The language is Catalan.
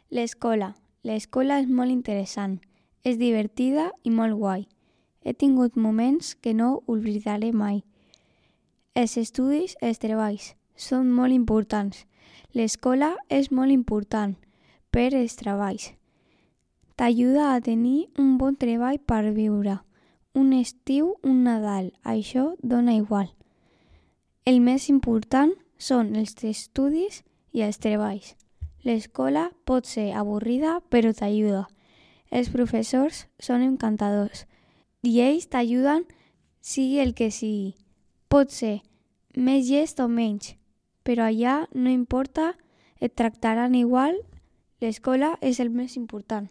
L'escola. L'escola és molt interessant, és divertida i molt guai. He tingut moments que no oblidaré mai. Els estudis, els treballs, són molt importants. L'escola és molt important per als treballs. T'ajuda a tenir un bon treball per viure. Un estiu, un Nadal, això dona igual. El més important són els estudis i els treballs. L'escola pot ser avorrida, però t'ajuda. Els professors són encantadors i ells t'ajuden sigui el que sigui. Pot ser més llest o menys, però allà no importa, et tractaran igual. L'escola és el més important.